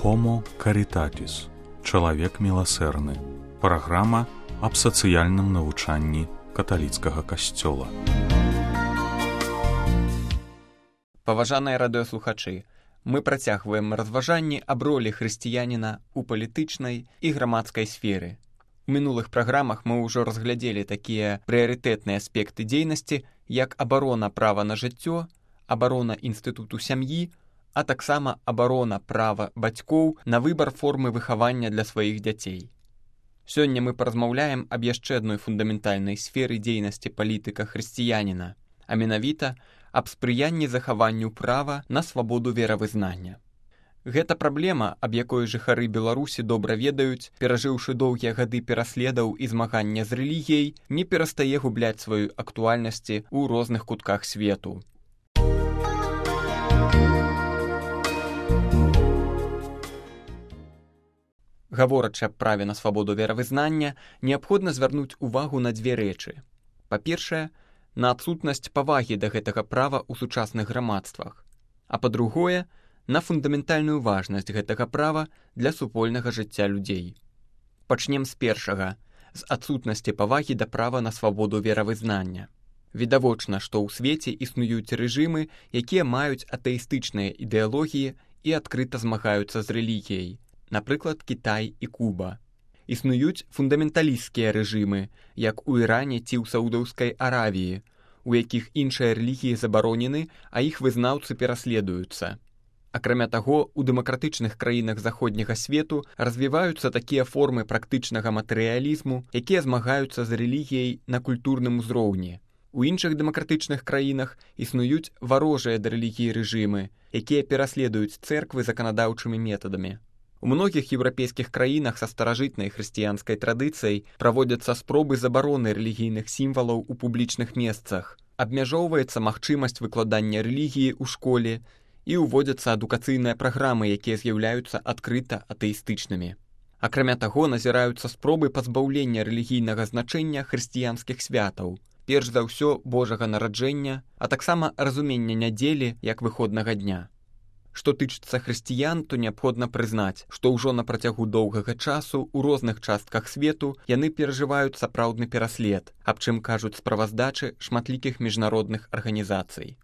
Homo Caritatis. Чалавек міласэрны. Праграма аб сацыяльным навучанні каталіцкага касцёла. Паважаныя радыёслухачы, мы працягваем разважанні аб ролі хрысціяніна ў палітычнай і грамадскай сферы. У мінулых праграмах мы ўжо разглядзелі такія прыярытэтныя аспекты дзейнасці, як абарона права на жыццё, абарона інстытуту сям'і, а таксама абарона права бацькоў на выбар формы выхавання для сваіх дзяцей. Сёння мы паразмаўляем аб яшчэ адной фундаментальнай сферы дзейнасці палітыка хрысціяніна, а менавіта аб спрыянні захаванню права на свабоду веравызнання. Гэта праблема, аб якой жыхары Беларусі добра ведаюць, перажыўшы доўгія гады пераследаў і змагання з рэлігіяй, не перастае губляць сваю актуальнасці ў розных кутках свету. Гаворачы аб праве на свабоду веравызнання, неабходна звярнуць увагу на дзве рэчы. Па-першае, на адсутнасць павагі да гэтага права ў сучасных грамадствах, а па-другое, на фундаментальную важнасць гэтага права для супольнага жыцця людзей. Пачнем з першага, з адсутнасці павагі да права на свабоду веравызнання. Відавочна, што ў свеце існуюць рэжымы, якія маюць атэістычныя ідэалогіі і адкрыта змагаюцца з рэлігіяй, напрыклад, Кітай і Куба. Існуюць фундаменталісцкія рэжымы, як у Іране ці ў Саудаўскай Аравіі, у якіх іншыя рэлігіі забаронены, а іх вызнаўцы пераследуюцца. Акрамя таго, у дэмакратычных краінах заходняга свету развіваюцца такія формы практычнага матэрыялізму, якія змагаюцца з рэлігіяй на культурным узроўні. У іншых дэмакратычных краінах існуюць варожыя да рэлігіі рэжымы, якія пераследуюць цэрквы заканадаўчымі метадамі. У многіх еўрапейскіх краінах са старажытнай хрысціянскай традыцыяй праводзяцца спробы забароны рэлігійных сімвалаў у публічных месцах, абмяжоўваецца магчымасць выкладання рэлігіі ў школе і ўводзяцца адукацыйныя праграмы, якія з'яўляюцца адкрыта атэістычнымі. Акрамя таго, назіраюцца спробы пазбаўлення рэлігійнага значэння хрысціянскіх святаў, перш за ўсё Божага нараджэння, а таксама разумення нядзелі як выходнага дня. Што тычыцца хрысціян, то неабходна прызнаць, што ўжо на працягу доўгага часу ў розных частках свету яны перажываюць сапраўдны пераслед, аб чым кажуць справаздачы шматлікіх міжнародных арганізацый.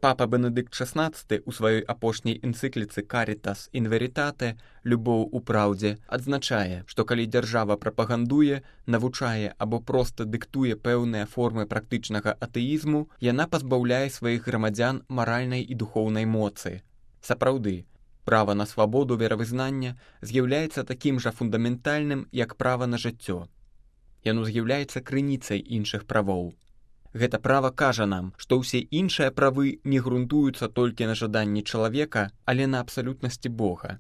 Папа Бенедыкт XVI у сваёй апошняй энцыкліцы «Caritas in veritate» «Любоў у праўдзе» адзначае, што калі дзяржава прапагандуе, навучае або проста дыктуе пэўныя формы практычнага атэізму, яна пазбаўляе сваіх грамадзян маральнай і духоўнай моцы. Сапраўды, права на свабоду веравызнання з'яўляецца такім жа фундаментальным, як права на жыццё. Яно з'яўляецца крыніцай іншых правоў. Гэта права кажа нам, што ўсе іншыя правы не грунтуюцца толькі на жаданні чалавека, але на абсалютнасці Бога.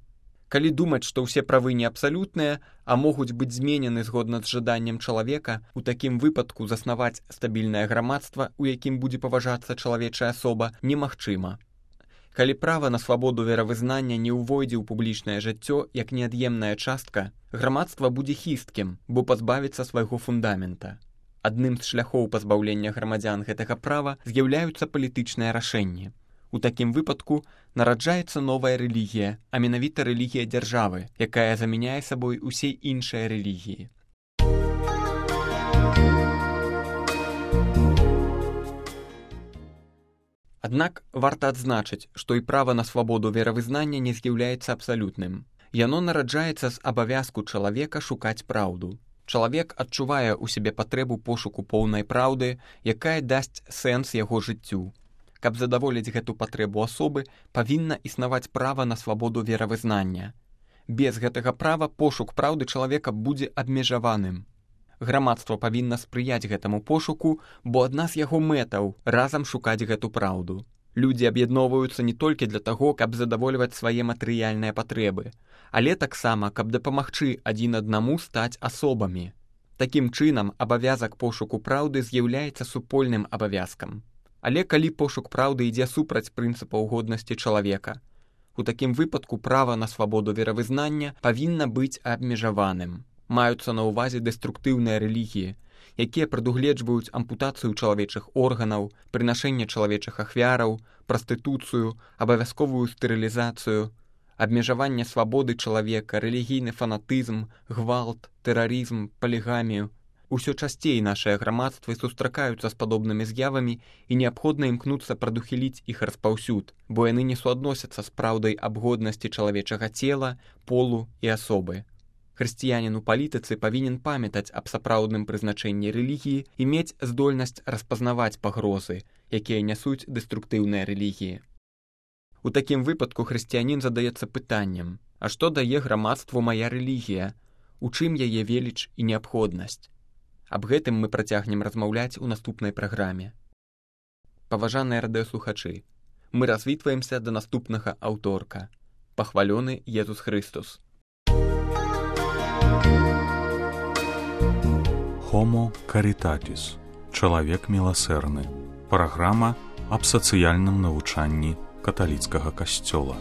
Калі думаць, што ўсе правы не абсалютныя, а могуць быць зменены згодна з жаданнем чалавека, у такім выпадку заснаваць стабільнае грамадства, у якім будзе паважацца чалавечая асоба, немагчыма. Калі права на свабоду веравызнання не ўвойдзе ў публічнае жыццё як неад'емная частка, грамадства будзе хісткім, бо пазбавіцца свайго фундамента. Адным з шляхоў пазбаўлення грамадзян гэтага права з'яўляюцца палітычныя рашэнні. У такім выпадку нараджаецца новая рэлігія, а менавіта рэлігія дзяржавы, якая замяняе сабой усе іншыя рэлігіі. Аднак варта адзначыць, што і права на свабоду веравызнання не з'яўляецца абсалютным. Яно нараджаецца з абавязку чалавека шукаць праўду. Чалавек адчувае ў сябе патрэбу пошуку поўнай праўды, якая дасць сэнс яго жыццю. Каб задаволіць гэту патрэбу асобы, павінна існаваць права на свабоду веравызнання. Без гэтага права пошук праўды чалавека будзе абмежаваным. Грамадства павінна спрыяць гэтаму пошуку, бо адна з яго мэтаў разам шукаць гэту праўду. Людзі аб'ядноўваюцца не толькі для таго, каб задавольваць свае матэрыяльныя патрэбы, але таксама, каб дапамагчы адзін аднаму стаць асобамі. Такім чынам, абавязак пошуку праўды з'яўляецца супольным абавязкам. Але калі пошук праўды ідзе супраць прынцыпаў годнасці чалавека, у такім выпадку права на свабоду веравызнання павінна быць абмежаваным. Маюцца на ўвазе дэструктыўныя рэлігіі, якія прадугледжваюць ампутацыю чалавечых органаў, прынашэнне чалавечых ахвяраў, прастытуцыю, абавязковую стэрылізацыю, абмежаванне свабоды чалавека, рэлігійны фанатызм, гвалт, тэрарызм, палігамію. Усё часцей нашыя грамадствы сустракаюцца з падобнымі з'явамі і неабходна імкнуцца прадухіліць іх распаўсюд, бо яны не суадносяцца з праўдай аб годнасці чалавечага цела, полу і асобы. Хрысціянін у палітыцы павінен памятаць аб сапраўдным прызначэнні рэлігіі і мець здольнасць распазнаваць пагрозы, якія нясуць дэструктыўныя рэлігіі. У такім выпадку хрысціянін задаецца пытаннем: а што дае грамадству мая рэлігія? У чым яе веліч і неабходнасць? Аб гэтым мы працягнем размаўляць у наступнай праграме. Паважаныя радыёслухачы, мы развітваемся да наступнага аўторка. Пахвалёны Езус Хрыстус. Homo Caritatis. Чалавек міласэрны. Праграма аб сацыяльным навучанні каталіцкага касцёла.